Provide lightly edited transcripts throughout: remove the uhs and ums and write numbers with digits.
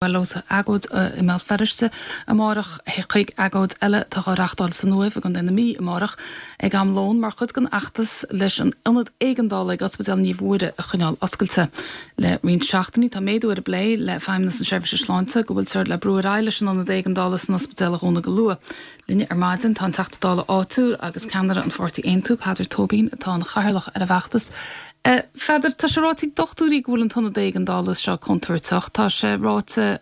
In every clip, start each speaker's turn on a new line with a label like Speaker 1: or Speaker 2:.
Speaker 1: Bhuel, ós agóid i mBéal Feirste amárach chuig agóid eile atá á reachtáil san Uaimh i gContae na Mí amárach ag am lóin mar chuid den fheachtas leis an ionad éigeandála ag Ospidéal Naomh Mhuire a choinneáil oscailte. Le roinnt seachtainí tá méadú ar an bplé le Feidhmeannas na Seirbhíse Sláinte go bhfuiltear le brú ar aghaidh leis an ionad éigeandála san ospidéal a dhúnadh go luath. Linn ar maidin tá an Teachta Dála áitiúil agus ceannaire an pháirtí Aontú, Peadar Tóibín, atá ina chathaoirleach ar an bhfeachtas. A Pheadair, tá sé ráite ag dochtúirí go bhfuil an t-ionad éigeandála seo contúirteach. Tá sé ráite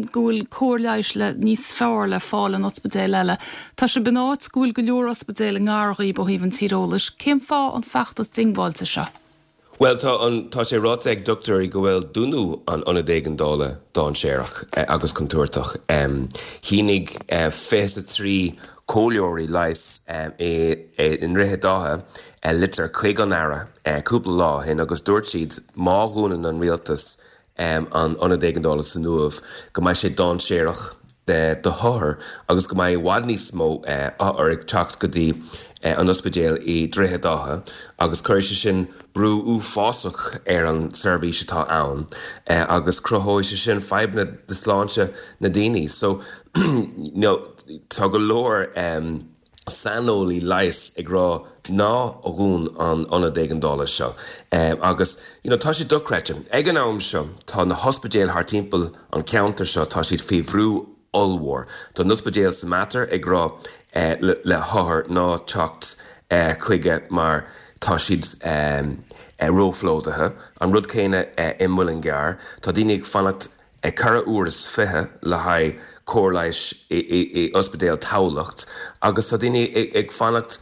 Speaker 1: go bhfuil cóir leighis le níos fearr le fáil in ospidéil eile. Tá sibh in áit go bhfuil go leor ospidéil i ngar dhaoib ó thaobh an tíreolais. Cén fáth an feachtas diongbháilte seo?
Speaker 2: Bhuel, tá an, tá sé ráite ag dochtúirí go bhfuil dúnadh an ionaid éigeandála dainséarach agus contúirteach. Shínigh 23 comhairleoirí leighis i nDroichead Átha litir chuig an Aire cúpla lá ó shin agus dúirt siad má dhúnann an rialtas an ionad éigeandála san Uaimh, go mbeidh sé dainséarach do hothair agus go mbeidh i bhfad níos mó othar ag teacht go dtí an ospidéal i Droichead Átha agus cuirfidh sé sin brú uafásach ar an seirbhís atá ann agus cruthóidh sé sin fadhbanna do sláinte na daoine. So, you know, tá go leor. saineolaí leighis ag rá ná dhún an ionad éigeandála seo agus you know tá sé dochreidte. Ag an am seo tá na hospidéil thart timpeall an ceantar seo tá siad faoi bhrú ollmhór. Tá an ospidéal sa Mater ag rá le hothair ná teacht chuige mar tá siad róphlódaithe. An rud céanna i Muileann gCearr. Tá daoine ag fanacht 24 uair le haghaidh cóir leighis i Ospidéal Tamhlacht agus tá daoine ag fanacht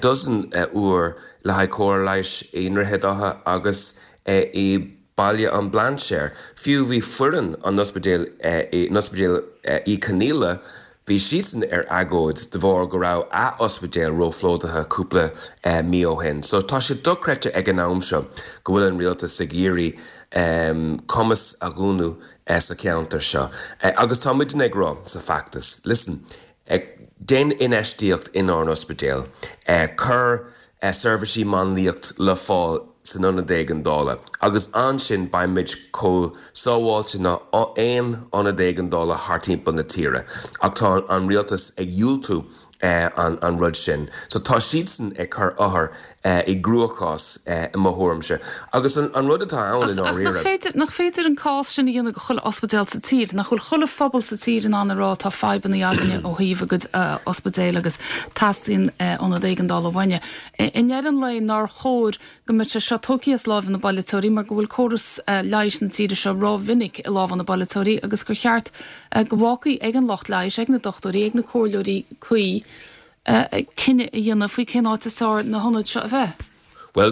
Speaker 2: dozen uair le haghaidh cóir leighis i nDroichead Átha agus i Baile an Bhlainséir. Fiú bhí foireann an ospidéil in Ospidéal Uí Chonaola Bhí siadsan ar agóid de bharr go raibh a ospidéal róphlódaithe cúpla mí ó shin. So tá sé dochreidte ag an am seo go bhfuil an rialtas ag iarraidh Cumas a dhúnadh sa cheantar seo. Agus tá muidne ag rá sa feachtas, listen, déan infheistíocht inár n-ospidéal, cuir seirbhísí máinliacht le fáil san ionad éigeandála agus ansin beidh muid chomh sábháilte ná aon ionad éigeandála thart timpeall na tíre. Ach tá an rialtas ag diúltú an rud sin. So tá siadsan ag cur othair i gcruachás i mo thuairimse. Agus an rud atá ann i
Speaker 1: ndáiríre. Ach nach féidir an cás sin a dhéanamh do chuile ospidéal sa tír? Nach bhfuil chuile phobal sa tír in ann a rá tá fadhbanna againne ó thaobh a gcuid ospidéil agus teastaíonn ionad éigeandála uainne. I ndeireadh an lae nár chóir go mbeadh sé seo tógtha as lámha na bpolaiteoirí mar go bhfuil córas leighis na tíre seo ró-mhinic i lámha na bpolaiteoirí agus gur cheart go bhfágfaí ag an lucht leighis, ag na dochtúirí, ag na comhairleoirí cuí cinneadh a dhéanamh faoi cén áit is fearr na hionaid seo a bheith.
Speaker 2: Bhuel,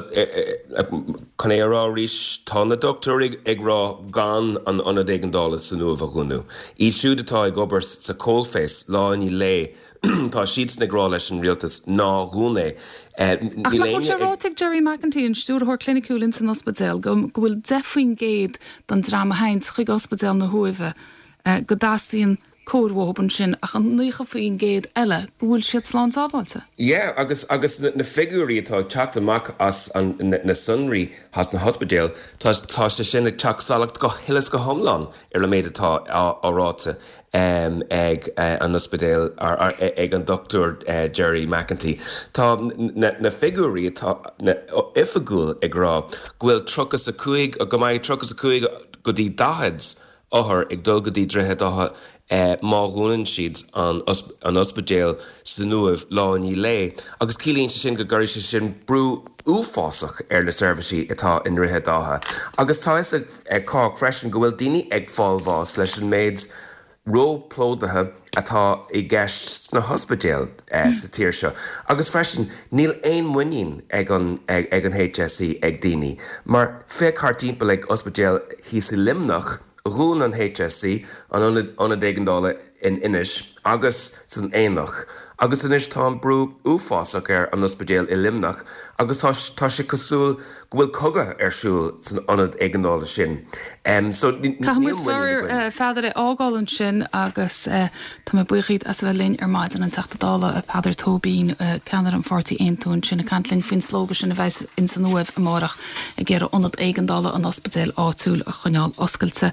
Speaker 2: chun é a rá arís, tá na dochtúirí ag rá gan an ionad éigeandála san Uaimh a dhúnadh. Iad siúd atá ag obair sa coalface lá i ndiaidh lae, tá siadsan ag rá leis an rialtas ná dhún é.
Speaker 1: Ach nach bhfuil sé ráite ag Gerry McEntee, an stiúrthóir cliniciúil ins an ospidéal, go bhfuil 10% den dream a théanns chuig ospidéal na hUaimhe go dteastaíonn cóir uathub ansin ach an 90% eile go bhfuil siad slán sábháilte.
Speaker 2: Yeah agus agus na figiúirí atá ag teacht amach as an na sonraí as na hospidéil tá tá sé sin ag teacht salach go huile is go hiomlán ar an méid atá á ráite ag an ospidéal ag an Dr Gerry McEntee. Tá na na figiúirí atá oifigiúil ag rá go bhfuil 35 go mbeidh 35 go dtí 40 othar ag dul go dtí Droichead Átha má dhúnann siad an ospidéal san Uaimh lá i ndiaidh lae agus ciallaíonn sé sin go gcuirfidh sé sin brú uafásach ar na seirbhísí atá i nDroichead Átha. Agus tá fhios ag cách freisin go bhfuil daoine ag fáil bháis leis an méid róphlódaithe atá i gceist sna hospidéil sa tír seo. Agus freisin níl aon muinín ag an ag an HSE ag daoine. Mar féach thart timpeall ag ospidéal thíos i Luimneach, dhún an HSE an ionad ionad éigeandála in Inis agus san Aonach agus anois tá an brú uafásach ar an ospidéal i Luimneach agus tá tá sé cosúil go bhfuil cogadh ar siúl san ionad éigeandála sin. So
Speaker 1: níl Caithfidh muid muinín againn. a Pheadair é fhágáil ansin agus tá mé buíoch díot as a bheith linn ar maidin, an Teachta Dála Peadar Tóibín, ceannaire an pháirtí Aontú ansin ag caint linn faoin slógadh sin a bheas ins an Uaimh amárach ag iarraidh ionad éigeandála an ospidéil áitiúil a choinneáil oscailte.